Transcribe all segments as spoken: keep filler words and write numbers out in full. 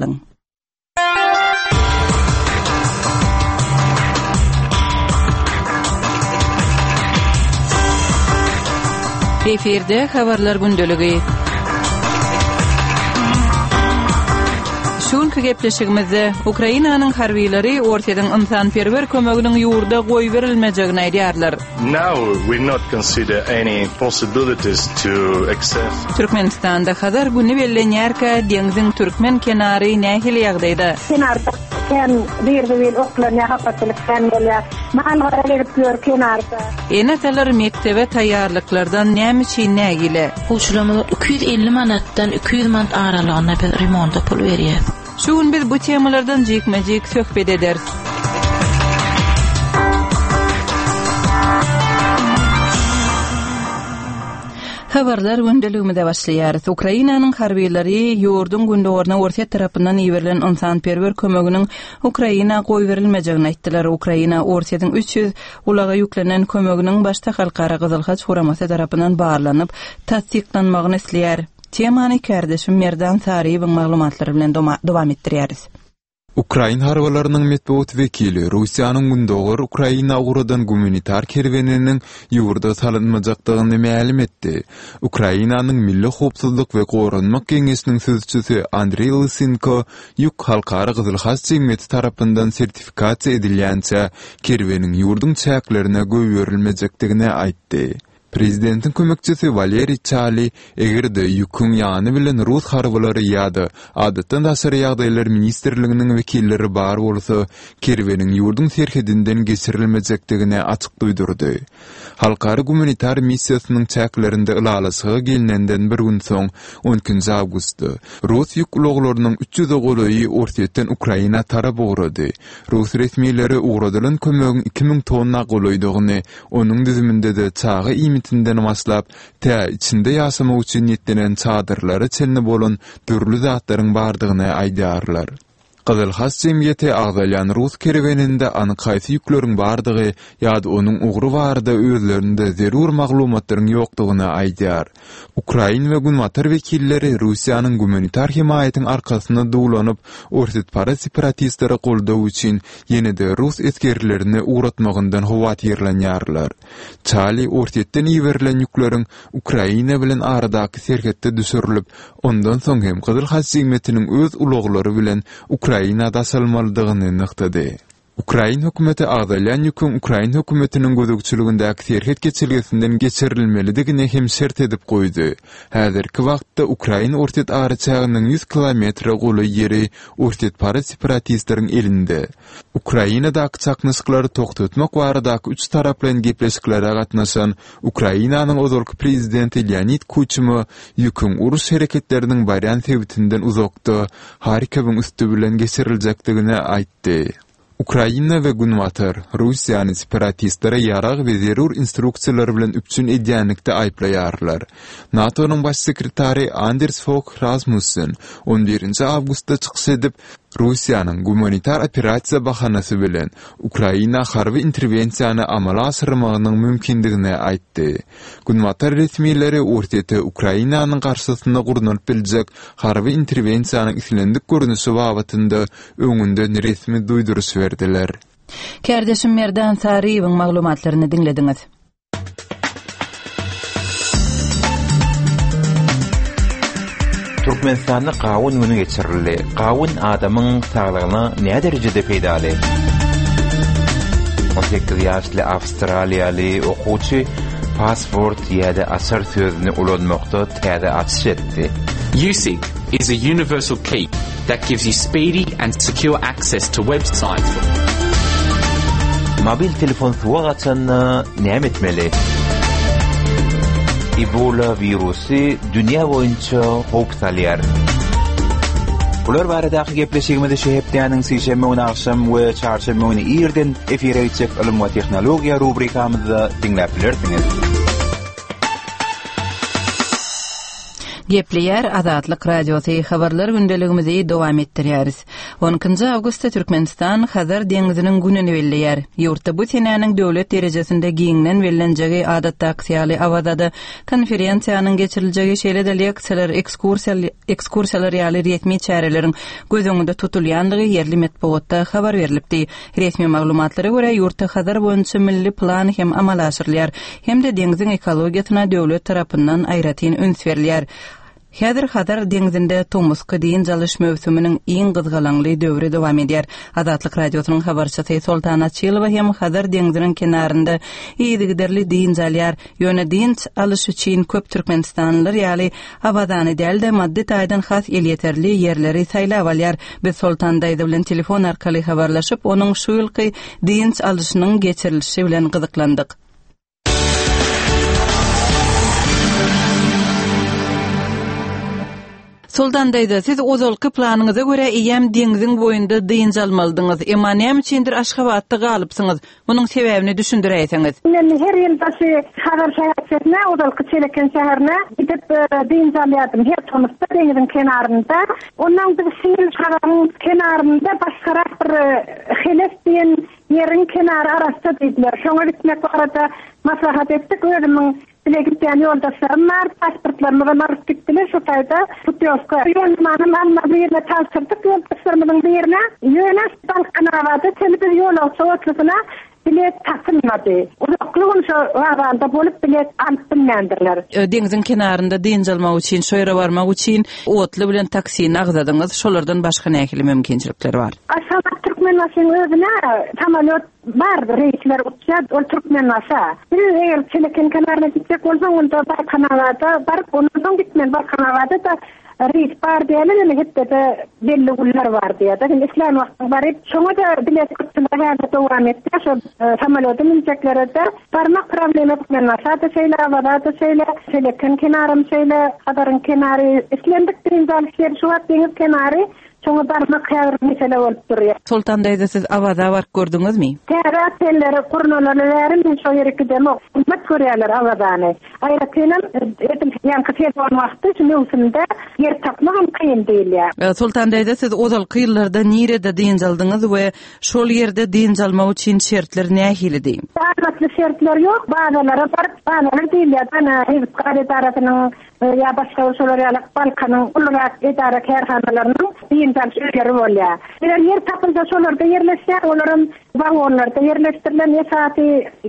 galyň. Efirde habarlar gündeligi. Şu günki gepleşigimizde Ukrainanyň harbylary Orsýetiň ynsanperwer kömeginiň ýurda goýberilmejegini aýdýarlar. Now we not consider any possibilities to access. Türkmenistanda Hazar güni bellenýärkä deňziň türkmen kenary nähili ýagdaýda? Kenarda kän zir-zibil oklanýar, hapaçylyk kän bolýar. Mal-gara gelip ýör kenarda. Ene-atalar mekdebe taýýarlyklardan näme üçin nägile? Okuwçylarymyza iki ýüz elli manatdan iki ýüz manat aralygynda biz remonta pul berýäris. Şu gün biz bu temalardan jikme-jik söhbet ederis. Habarlar gündeligimize başlaýarys. Ukrainanyň harbylary ýurduň gündogaryna Orsýet tarapyndan iberilen ynsanperwer kömeginiň Ukraina goýberilmejegini aýtdylar. Ukraina Orsýetiň üç ýüz ulaga ýüklenen kömeginiň başda Halkara Gyzyl Haç guramasy tarapyndan barlanyp, tassyklanmagyny isleýär. Temany kärdeşim Merdan Saryýewiň maglumatlary bilen dowam etdirýäris. Ukrain harbylarynyň metbugat wekili Russiýanyň gündogar Ukraina ugradan gumanitar kerweniniň ýurda salynmajakdygyny mälim etdi. Ukrainanyň Milli howpsuzlyk we goranmak geňeşiniň sözçüsi Andreý Lysenko ýük Halkara Gyzyl Haç jemgyýeti tarapyndan sertifikasiýa edilýänçä kerweniň ýurduň çäklerine goýberilmejekdigini aýtdy. Prezidentiň kömekçisi Waleriý Çali eger-de ýüküň ýany bilen rus harbylary ýa-da adatdan daşary ýagdaýlar ministrliginiň wekilleri bar bolsa, kerweniň ýurduň serhedinden geçirilmejekdigini açyk duýdurdy. Halkara gumanitar missiýasynyň çäklerinde ylalaşyga gelnenden bir gün soň, on ikinji awgustda, rus ýük ulaglarynyň üç ýüze golaýy Orsýetden Ukraina tarap ugrady. Rus resmileri ugradylan kömegiň iki müň tonna golaýdygyny, onuň düzüminde-de çaga iýmitinden başlap, tä içinde ýaşamak üçin niýetlenen çadyrlara çenli bolan dürli zatlaryň bardygyny aýdýarlar. Gyzyl Haç jemgyýeti agzalýan rus kerweninde anyk haýsy ýükleriň bardygy ýa-da onuň ugry barada özlerinde zerur maglumatlaryň ýokdugyny aýdýar. Ukrain we Günbatar wekilleri Russiýanyň gumanitar hemaýatyň arkasyna duwlanyp, orsýetparaz separatistlere goldaw üçin ýene-de rus esgerlerini ugratmagyndan howatyrlanýarlar. Çali Orsýetden iberilen ýükleriň Ukraina bilen aradaky serhetde düşürilip, ondan soň hem Gyzyl Haç jemgyýetiniň öz ulaglary bilen Ukraina daşalmalydygyny nygtady. Ukrain hökümeti agzalýan ýüküň Ukrain hökümetiniň gözegçiligindäki serhet geçelgesinden geçirilmelidigini hem şert edip goýdy. Häzirki wagtda Ukrain Orsýet araçäginiň ýüz kilometre golaý ýeri orsýetparaz separatistleriň elinde. Ukrainadaky çaknyşyklary togtatmak baradaky üç taraplaýyn gepleşiklere gatnaşan Ukrainanyň ozalky prezidenti Leonid Kuçma ýüküň uruş hereketleriniň barýan sebitinden uzakda Harkowyň üsti bilen geçiriljekdigini aýtdy. Ukraina we Günbatar Russiýany separatistlere ýarag we zerur instruksiýalar bilen üpjün edýänlikde aýyplaýarlar. NATO-nyň baş sekretary Anders Fogh Rasmussen on birinji awgustda çykyş edip, Russiýanyň gumanitar operasiýa bahanasy bilen Ukraina harby interwensiýany amala aşyrmagynyň mümkindigini aýtdy. Günbatar resmileri Orsýete Ukrainanyň garşysyna gurnalyp biljek harby interwensiýanyň islendik görnüşi babatynda öňünden resmi duýduryş berdiler. Kärdeşim Merdan Saryýewiň maglumatlaryny diňlediňiz. Türkmenistanda gawun günü geçirildi. Gawun adamyň saglygyna nä derejede peýdaly? On sekiz ýaşly awstraliýaly okuwçy pasport ýa-da açar sözüni ulanmakda täze açyş etdi. USIG is a universal key that gives you speedy and secure access to websites. Mobil telefon suwa gaçanda näme etmeli? Ebola wirusy dünýä boýunça howp salýar. Bular baradaky gepleşigimizi şu hepdäniň sişenbe güni agşam we çarşenbe güni irden efire gitjek ylym we tehnologiýa rubrikamyzda diňläp bilersiňiz. Gepleýär Azatlyk Radiosy habarlar gündeligimizi dowam etdirýäris. on ikinji awgustda Türkmenistan Hazar deňziniň gününi belleýär. Ýurtda bu senäniň döwlet derejesinde giňden bellenjegi adatdaky ýaly Awazada konferensiýanyň geçiriljegi, şeýle-de leksiýalar, ekskursiýalar ýaly resmi çäreleriň göz öňünde tutulýandygy ýerli metbugatda habar berlipdi. Resmi maglumatlara görä ýurtda Hazar boýunça milli plan hem amala aşyrylýar, hem-de deňziň ekologiýasyna döwlet tarapyndan aýratyn üns berilýär. Häzir Hazar deňzinde tomusky dynç alyş möwsüminiň iň gyzgalaňly döwri dowam edýär. Azatlyk Radiosynyň habarçysy Soltan Açylowa hem Hazar deňziniň kenarynda yzygiderli dynç alýar. Ýöne dynç alyş üçin köp türkmenistanlylar ýaly Awazany däl-de maddy taýdan has elýeterli ýerleri saýlap alýar. Biz Soltan daýza bilen telefon arkaly habarlaşyp, onuň şu ýylky dynç alyşynyň geçirilişi bilen gyzyklandyk. Soltan daýza, siz ozalky planyňyza görä eýýäm deňziň boýunda dynç almalydyňyz. Emma näme üçindir Aşgabatda galypsyňyz? Munuň sebäbini düşündiräýseňiz. Men her ýyl daşy Hazar şäherçesine, ozalky Çeleken şäherine gidip dynç alýardym. Her tomusda deňziň kenarynda. Ondan biz şu ýyl Hazaryň kenarynda başgarak bir Heles diýen ýeriň kenary arasy diýdiler. Şoňa gitmek barada maslahat etdik. Özümiň bile gitýän ýoldaşlarym bar, pasportlarymyzy alyp gitdiler şu taýda putýowka. Ýolmanam alma birine tabşyrdyk ýoldaşlarymyzyň birine. Ýöne Balkanabada çenli biz ýolagçy otlusyna bilet tapylmady. Uzakly gün şo wagzalda bolup bilet alyp bilmändirler. Deňziň kenarynda dynç almak üçin, şo ýere barmak üçin otly bilen taksini agzadyňyz. Şolardan başga nähili mümkinçilikler bar? Aşgabat Türkmenbaşynyň özüne samolýot bar, reýsler uçýar, ol Türkmenbaşa. Biz eger Çeleken kenaryna gitjek bolsaň, onda Balkanabada baryp, ondan soň gitmeli. Balkanabada da reýs bar diýerler, ýöne hepdede belli günler bar diýýär. Şimdi islän wagtyň baryp, şoňa da bilet köpçüligi häzir dowam etdi. Şo samolýoda münjeklere de barmak problemi Türkmenbaşa da şeýle, Awazada şeýle, Çeleken kenarym şeýle, Hazaryň kenary, islendik dynç alyş ýeri şu wagt deňiz kenary. Şoňa barmak häzir mesele bolup durýar. Soltan daýza, siz Awaza baryp gördüňizmi? Täze otelleri gurnalaly bäri men şo ýere gidemok. Gymmat görýärler Awazany. Aýratynam edil ýaňky sezon wagty şu möwsümde ýer tapmak hem kyn diýilýär. Soltan daýza, siz ozalky ýyllarda nirede dynç aldyňyz we şol ýerde dynç almak üçin şertler nähilidi? Amatly şertler ýok. Bazalara baryp, bazalar diýilýär. Ana, Hizb edarasynyň ýa başga şolar ýaly Balkanyň ulurak edara kärhanalarynyň dynç alyş öýleri bolýar. Eger ýer tapylsa şolarda ýerleşýär, olaram wagonlarda ýerleşdirilen esasy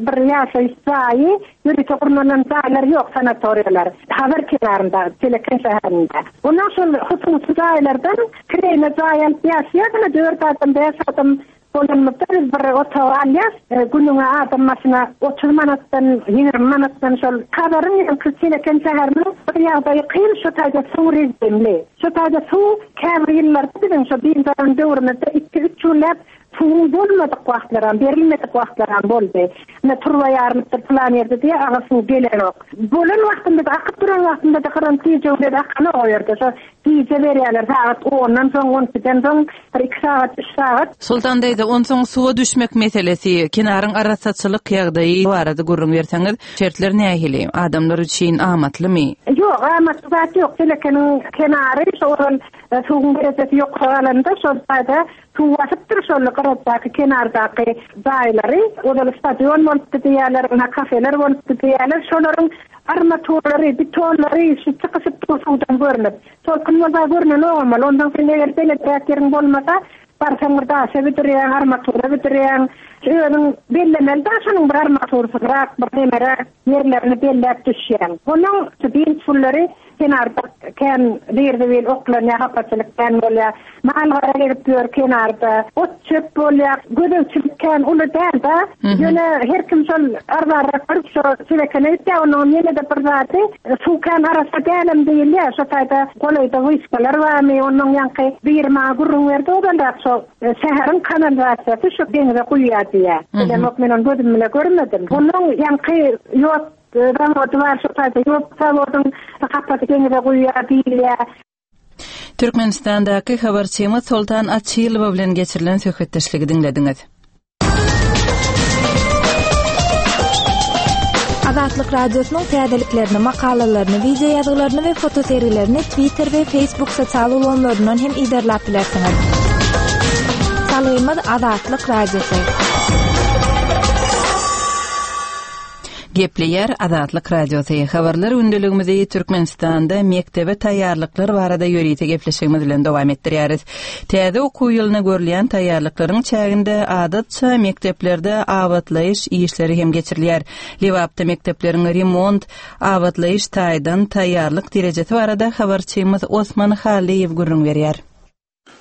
bir ýaşaýyş jaýy, ýörite gurnalan jaýlar ýok, sanatoriýalar. Hazar kenarynda, Çeleken şäherinde. Ondan şol hususy jaýlardan kireýne jaý alyp ýaşaýar, ýa dört adam, bäş adam bolanymyzda biz bir otagy alýas, günüňe adam başyna otuz manatdan, ýigrimi manatdan şol Hazaryň ýaňky Çeleken şäheriniň bir ýagdaýy kyn, şu taýda suw rejimli. Şu taýda suw käbir ýyllarda biziň şu dynç alan döwrümizde iki-üç günläp suwuň bolmadyk wagtlaram, berilmedik wagtlaram boldy. Ne turba ýarylypdyr plan ýerde diýe agyr suw gelenok. Bolan wagtynda da akyp duran wagtynda da gyran tijewler akanok o ýerde. Şo gije berýärler sagat ondan soň, on ikiden soň bir iki sagat, üç sagat. Soltan daýza, onsoň suwa düşmek meselesi, kenaryň arassaçylyk ýagdaýy barada gürrüň berseňiz, şertler nähili? Adamlar üçin amatlymy? Ýok, amatly zat ýok. Çelekeniň kenary şo ozal suwuň derejesi ýokary galanda şol taýda suw basypdyr şol gyratdaky kenardaky jaýlary. Ozal stadion bolupdy diýýärler, ýa kafeler bolupdy diýýärler. Şolaryň armaturlary, betonlary şu çykyşyp dur suwdan görünip. Tolkun bolsa görünenok ama ondan soň eger beleträk ýeriň bolmasa, barsaň bir daşa bidirýäň, armatura bidirýäň. Özüň bellemeli daşynyň bir armatursyzrak, bir nemeräk ýerlerini belläp düşýäň. Onuň dynç günleri kenarda kän zir-zibil oklanýar, hapaçylyk kän bolýar. Mal-gara gelip ýör kenarda, ot çöp bolýar, gözegçilik kän uly däl-de. Ýöne her kim şol arzarak baryp şo Çelekene gitýär, onuň ýene-de bir zady, suw kän arassa dälem diýilýär. Şo taýda golaýda wyşkalar barmy, onuň ýaňky bir maňa gürrüň berdi, ozalrak şo şäheriň kanalizasiýasy şu deňize guýýar diýýär. Bilemok, men ony gözüm bile görmedim. Onuň ýaňky ýot zawody bar, şo taýda ýot zawodyň hapasy deňize guýýar diýilýär. Türkmenistandaky habarçymyz Soltan Açylowa bilen geçirilen söhbetdeşligi diňlediňiz. Azatlyk Radiosynyň täzeliklerini, makalalaryny, wideo ýazgylaryny we fotosergilerini Twitter we Facebook sosial ulgamlaryndan hem yzarlap bilersiňiz. Salgymyz Azatlyk Radiosy. Gepleýär Azatlyk Radiosy. Habarlar gündeligimizi Türkmenistanda mekdebe taýýarlyklar barada ýörite gepleşigimiz bilen dowam etdirýäris. Täze okuw ýylyna görülýän taýýarlyklaryň çäginde adatça mekdeplerde abatlaýyş işleri hem geçirilýär. Lebapda mekdepleriň remont, abatlaýyş taýdan taýýarlyk derejesi barada habarçymyz Osman Halyýew gürrüň berýär.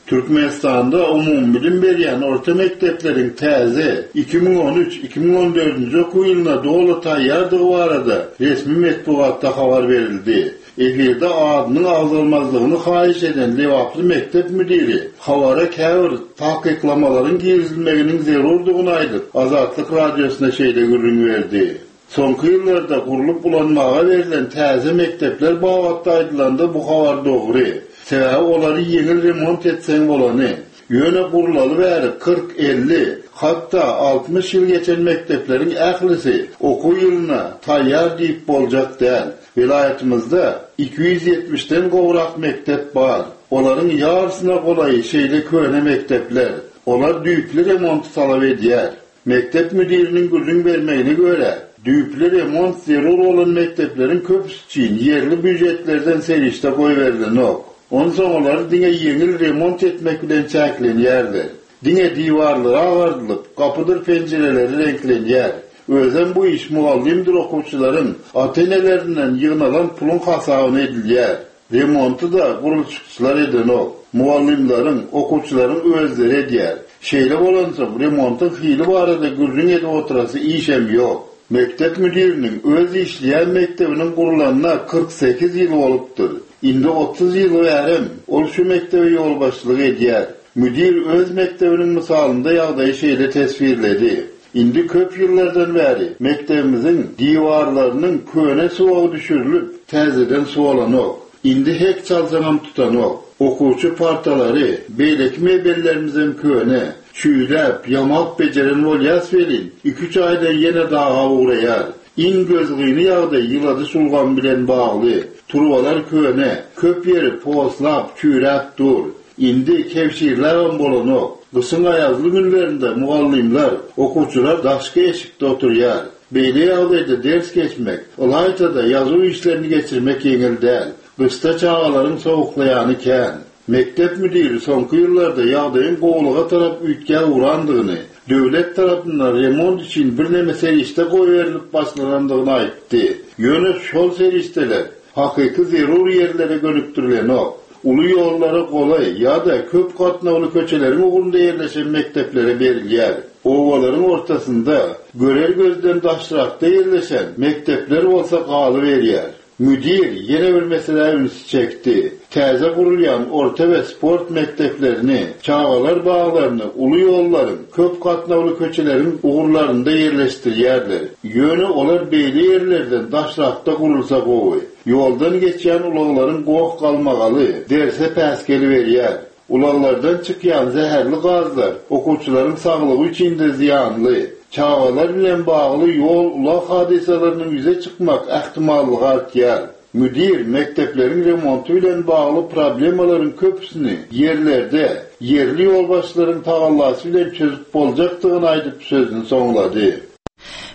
Türkmenistanda umumybilim berýän orta mekdepleriň täze iki müň on üç iki müň on dördünji okuw ýylyna doly taýýardygy barada resmi metbugatda habar berildi. Efirde adynyň agzalmazlygyny haýyş eden Lebaply mekdep müdiri habara käbir takyklamalaryň girizilmeginiň zerurdygyny aýdyp, Azatlyk Radiosyna şeýle gürrüň berdi. Soňky ýyllarda gurlup ulanmaga berlen täze mekdepler babatda aýdylanda bu habar dogry. Sebäbi olary ýeňil remont etseň bolany. Ýöne gurlaly bäri kyrk elli, hatda altmyş ýyl geçen mekdepleriň ählisi okuw ýylyna taýýar diýip boljak däl. Welaýatymyzda iki ýüz ýetmişden gowrak mekdep bar. Olaryň ýarysyna golaýy şeýle köne mekdepler. Olar düýpli remonty talap edýär. Mekdep müdiriniň gürrüň bermegine görä, düýpli remont zerur bolan mekdepleriň köpüsi üçin ýerli býujetlerden serişde goýberilenok. Onsoň olary diňe ýeňil remont etmek bilen çäklenýärler. Diňe diwarlary agardylyp, gapydyr penjireleri reňklenýär. Özem bu iş mugallymdyr okuwçylaryň ata-enelerinden ýygnalan puluň hasabyna edilýär. Remonty-da gurluşykçylar edenok. Mugallymlaryň, okuwçylaryň özleri edýär. Şeýle bolansoň remontyň hili barada gürrüň edip oturasy işem ýok. Mekdep müdiriniň öz işleýän mekdebiniň gurlanyna kyrk sekiz ýyl bolupdyr. Indi otuz ýyl bärem ol şu mekdebe ýolbaşçylyk edýär. Müdir öz mekdebiniň mysalynda ýagdaýy şeýle teswirledi. Indi köp ýyllardan bäri mekdebimiziň diwarlarynyň köne suwagy düşürilip, täzeden suwalanok. Indi hek çalsaňam tutanok. Okuwçy partalary, beýleki mebellerimizem köne. Çüýläp, ýamap bejeren bolýas welin, iki-üç aýda ýene daga ugraýar. Iň gözgyny ýagdaý ýyladyş ulgamy bilen bagly. Turbalar köne, köp ýeri poslap, çüýräp dur. Indi kewşirläbem bolanok. Gyşyň aýazly günlerinde mugallymlar, okuwçylar daşky eşikde oturýar. Beýle ýagdaýda ders geçmek, ylaýta-da ýazuw işlerini geçirmek ýeňil däl. Gyşda çagalaryň sowuklaýany kän. Mekdep müdiri soňky ýyllarda ýagdaýyň gowulyga tarap üýtgäp ugrandygyny, döwlet tarapyndan remont üçin birneme serişde goýberilip başlanandygyny aýtdy. Ýöne şol serişdeler hakyky zerur ýerlere gönükdirilenok. Uly ýollara golaý ýa-da köp gatnawly köçeleriň ugrunda ýerleşen mekdeplere berilýär. Obalaryň ortasynda görer gözden daşrakda ýerleşen mekdepler bolsa galyberýär. Müdir ýene bir meselä ünsi çekdi. Täze gurulýan orta we sport mekdeplerini, çagalar baglaryny uly ýollaryň, köp gatnawly köçeleriň ugurlarynda ýerleşdirýärler. Ýöne olar beýle ýerlerden daşrakda gurulsa gowy. Ýoldan geçýän ulaglaryň goh galmagaly derse päsgel berýär. Ulaglardan çykýan zäherli gazlar okuwçylaryň saglygy üçin-de zyýanly. Çagalar bilen bagly ýol ulag hadysalarynyň ýüze çykmak ähtimallygy artýar. Müdir mekdepleriň remonty bilen bagly problemalaryň köpüsini ýerlerde, ýerli ýolbaşçylaryň tagallasy bilen çözüp boljakdygyny aýdyp sözüni soňlady.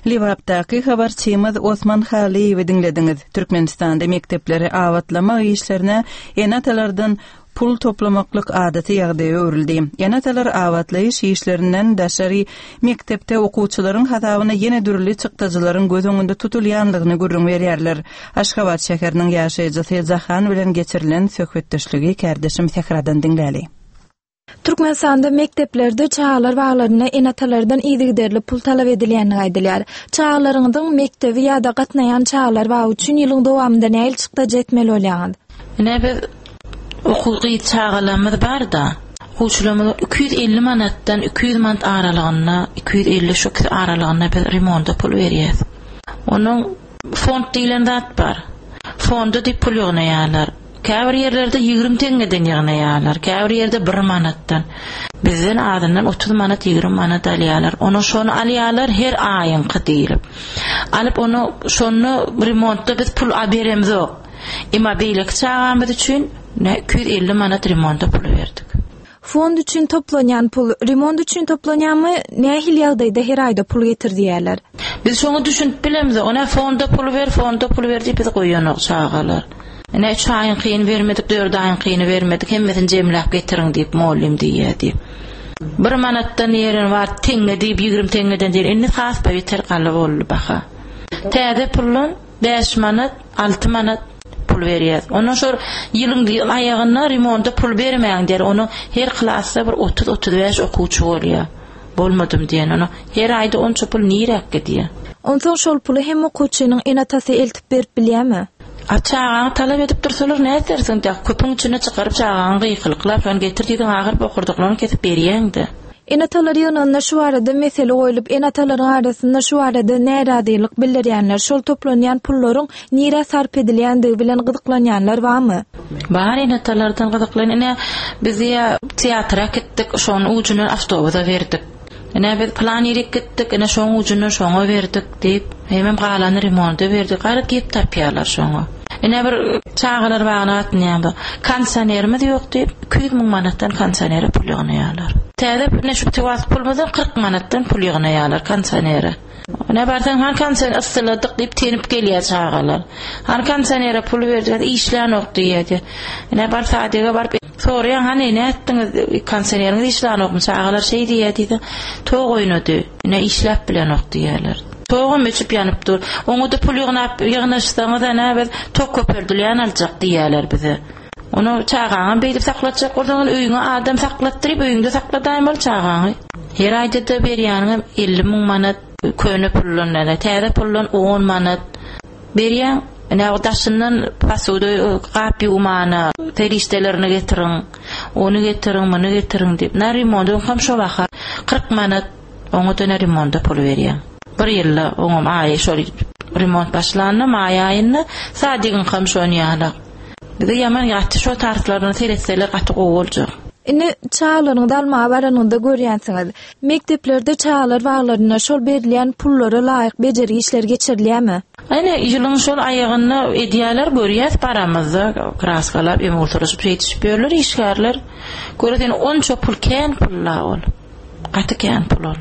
Lebapdaky habarçymyz Osman Halyýewi diňlediňiz. Türkmenistanda mekdepleri abatlamak işlerine ene-atalardan pul toplamaklyk adaty ýagdaýa öwrüldi. Ene-atalar abatlaýyş işlerinden daşary mekdepde okuwçylaryň hasabyna ýene dürli çykdajylaryň göz öňünde tutulýanlygyny gürrüň berýärler. Aşgabat şäheriniň ýaşaýjysy Jahan bilen geçirilen söhbetdeşligi kärdeşim Sähradan diňläli. Türkmenistanda mekdeplerde çagalar baglaryna ene-atalardan yzygiderli pul talap edilýänligi aýdylýar. Çagalaryňyzyň mekdebi ýa-da gatnaýan çagalar bagy üçin ýylyň dowamynda nähili çykdajy etmeli bolýaňyz? Ine biz okuw gyz çagalarymyz bar-da, okuwçylarymyz iki ýüz elli manatdan iki ýüz manat aralygynda, iki ýüz elli şu ikisi aralygynda biz remonta pul berýäs. Onuň fond diýlen zat bar. Fonda diýip pul ýygnaýarlar. Käbir ýerlerde ýigrimi teňňeden ýygnaýarlar, käbir ýerde bir manatdan. Bizden azyndan otuz manat, ýigrimi manat alýarlar. Ony şony alýarlar her aýyňky diýlip. Alyp ony şonda remontda biz pul beremzok. Emma beýleki çagamyz üçin iki ýüz elli manat remonta pul berdik. Fond üçin toplanýan pul remont üçin toplanýarmy? Nähili ýagdaýda her aýda pul getir diýerler? Biz şoňa düşünip bilemizok. Ona fonda pul ber, fonda pul ber diýip biz goýanok çagalar. Ine üç aýyňkyny bermedik, dört aýyňkyny bermedik, hemmesini jemläp getiriň diýip mugallym diýýär diýip. Bir manatdan ýeren bar, teňňe diýip ýigrimi teňňeden diýen. Indi has beter galy boldy baha. Täze puldan bäş manat, alty manat pul berýär. Ondan şol ýylyň aýagynda remonta pul bermäň diýer. Onu her klasda bir otuz otuz bäş okuwçy bolýar. Bolmadym diýen onu. Her aýda onça pul niräk gidýär? Onsoň şol puly hem okuwçynyň ene-atasy eltip berip bilýärmi? A çagaňy talap edip dursalar näme edersiň? Köpüň içine çykaryp çagaňy gykylyklap, şony getir diýdiň, agyr bokurdaklaryny kesip berýäňdi. Ene-atalar ýygnagynda şu barada mesele goýlup, ene-atalaryň arasynda şu barada närazylyk bildirýänler, şol toplanýan pullaryň nirä sarp edilýändigi bilen gyzyklanýanlar barmy? Bar ene-atalardan gyzyklan. Ine biz ýa teatra gitdik, şonuň ucundan awtobusa berdik. Ine biz plan ýerik gitdik, ine şonuň ucundan şoňa berdik diýip, hemem galany remonta berdik. Gaýrat gep tapýarlar şoňa. Ine bir çagalar bagyna atnaýan bu. Kondisionerimiz ýok diýip, iki ýüz müň manatdan kondisionere pul ýygnaýarlar. Täze ine şu tuwat pulumyzdan kyrk manatdan pul ýygnaýarlar kondisionere. Ine barsaň han kondisioner yssyladyk diýip tenip gelýär çagalar. Han kondisionere pul berdiler, işlän ok diýýär. Ine bar sadega baryp soraýan, hany ne etdiňiz kondisioneriňiz işlän okmy? Çagalar şeý diýýär diýdi. Tok oýnady. Ine işläp bilen ok diýýärler. Togum öçüp ýanyp dur. Oňa da pul ýygnap ýygnaşsaňyz ana biz tok köpeldilýän aljak diýýärler bize. Onu çagaňy beýdip saklatjak bolsaň, öýüňe adam saklatdyryp, öýüňde sakladaýmaly çagaňy. Her aýda da berýäniňem elli müň manat köne puldan, ýa täze puldan on manat berýän. Ine o daşyndan pasuda gap ýuwmana, serişdelerini getiriň, ony getiriň, muny getiriň diýip. Na remonda hem şo baha kyrk manat oňa da remonda pul berýän. Bir ýylda oňam aýy şol remont başlandy, maý aýynda sadigiň hem şony ýaly. Bize ýaman ýatdy şo tartlaryny seretseler gaty gowy boljak. Ine çagalaryňyzy almaga baranyňyzda görýänsiňiz. Mekdeplerde çagalar baglarynda şol berilýän pullara laýyk bejergi işleri geçirilýärmi? Ine ýylyň şol aýagynda edýärler, görýäs paramyzda kraskalap, emultalaşyp ýetişip ýörler işgärler. Göresen onça pul kän pulla ol. Gaty kän pul ol.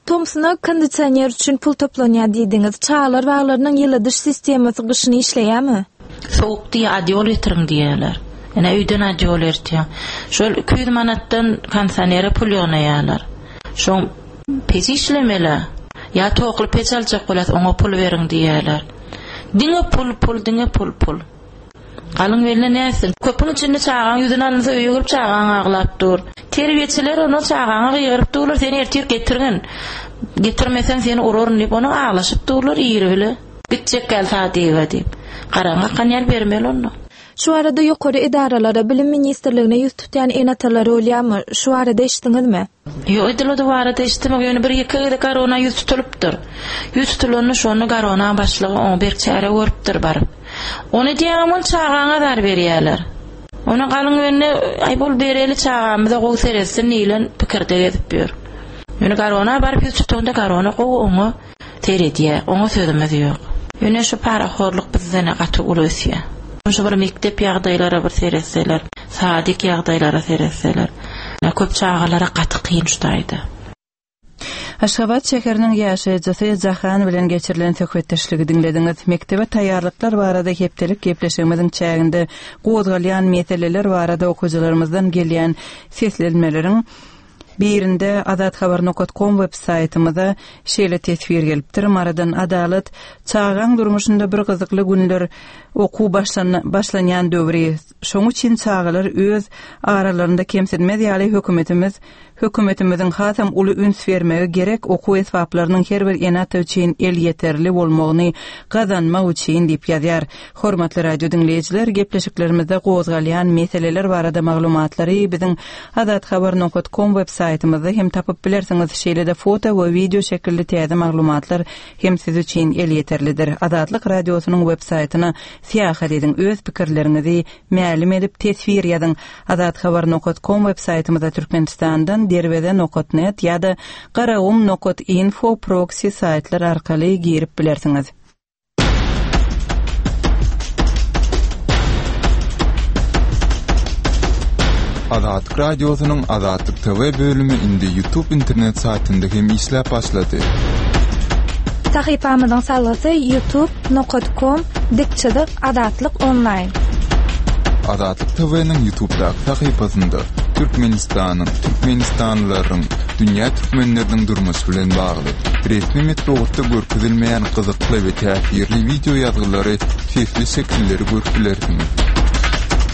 Tomsuna kondisioner üçin pul toplanýar diýdiňiz. Çagalar baglarynyň ýyladyş sistemasy gyşyny işleýärmi? Soğuk diýe adyol getirin diýerler. Ine öýden adyol ertýär. Şol iki ýüz manatdan kondisionere pul ýygnaýarlar. Şoň peç işlemeli. Ýa tokly peç aljak bolat, oňa pul beriň diýerler. Diňe pul, pul, diňe pul, pul. Galyň beline näsin? Köpüň içinde çagaň ýüzüni alynsa öýe girip çagaň aglap dur. Terbiýeçiler onu çagaňa gygyryp durlar, seni ertir getirgin. Getirmesen seni uraryn diýip, onu aglaşyp durlar ýeri bile. Gitjek gel sadiga diýip. Garaňa kanýar bermeli onu. Şu arada ýokary edaralara, bilim ministrligine ýüz tutýan ene-atalar bolýarmy? Şu arada eşitdiňizmi? Ýok, edil o barada eşitdim. Ýöne bir iki gezek garona ýüz tutulypdyr. Ýüz tutulanda şonu garona başlygy oň bir çäre görüpdir baryp. Ony diýýän ol çagaňa zar berýärler. Ona galyň önüne aý bol bereli çagamyza gowy seretsin diýlen pikirde gezip ýör. Ýöne garona baryp ýüz tutanda garona gowy oňa seredýär. Oňa sözümiz ýok. Ýöne şu parahorluk bizden gaty uly ösýär. Şu bir mekdep ýagdaýlara bir seretseler, sadik ýagdaýlara seretseler, köp çagalara gaty kyn şutaýdy. Aşgabat şäheriniň ýaşaýjysy Jahan bilen geçirilen söhbetdeşligi diňlediňiz. Mekdebe taýýarlyklar barada hepdelik gepleşigimiziň çäginde gozgalýan meseleler barada okyjylarymyzdan gelýän seslenmeleriň birinde azathabar nokta com web saýtymyza şeýle teswir gelipdir. Maradan Adalat, çagaň durmuşynda bir gyzykly günler okuw başlan-, başlanýan döwri. Şoň üçin çagalar öz aralarynda kemsidmez ýaly hökümetimiz, hökümetimiziň hasam uly üns bermegi gerek okuw esbaplarynyň her bir ene-ata üçin el ýeterli bolmagyny gazanmak üçin diýip ýazýar. Hormatly radio diňleýjiler, gepleşiklerimizde gozgalýan meseleler barada maglumatlary biziň azathabar nokta com web saýtymyzda hem tapyp bilersiňiz. Şeýle-de foto we video şekilli täze maglumatlar hem siz üçin el ýeterlidir. Azatlyk radiosynyň web saýtyna Syýahat ediň, öz pikirleriňizi mälim edip teswir ýazyň. Azathabar nokat com web saýtymyza Türkmenistandan derweze nokat net ýa-da garagum nokat info proxy saýtlar arkaly girip bilersiňiz. Azatlyk Radiosynyň Azatlyk T V bölümi indi YouTube internet saýtynda hem işläp başlady. Sahypamyzyň salgysy youtube nokta com dik çyzyk Azatlyk online. Azatlyk T V-niň YouTube'daky sahypasynda Türkmenistanyň, Türkmenistanlylaryň, dünýä türkmenleriniň durmuşy bilen bagly resmi metbugatda görkezilmeýän gyzykly we täsirli wideo ýazgylary, sesli şekilleri görüp bilersiňiz.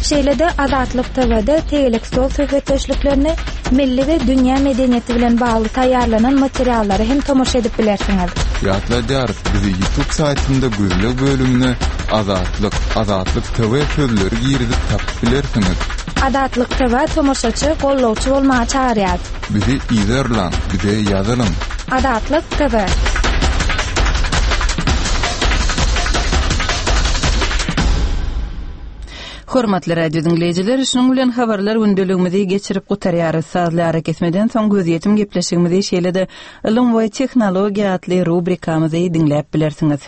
Şeýle-de Azatlyk T V-de tegelek stol söhbetdeşliklerini, milli we dünýä medeniýeti bilen bagly taýýarlanan materiallary hem tomaşa edip bilersiňiz. Ýatladýarys, bizi YouTube saýtynda gözleg bölümine Azatlyk, Azatlyk T V sözleri girizip tapyp bilersiňiz. Azatlyk T V tomaşaçy, gollawçy bolmaga çagyrýar. Bizi yzarlaň, bize ýazylyň. Azatlyk T V. Hormatly radio diňleýjiler, şunuň bilen habarlar gündeligimizi geçirip gutarýarys. Sazly arakesmeden soň gözýetim gepleşigimizi, şeýle-de ylym we tehnologiýa atly rubrikamyzy diňläp bilersiňiz.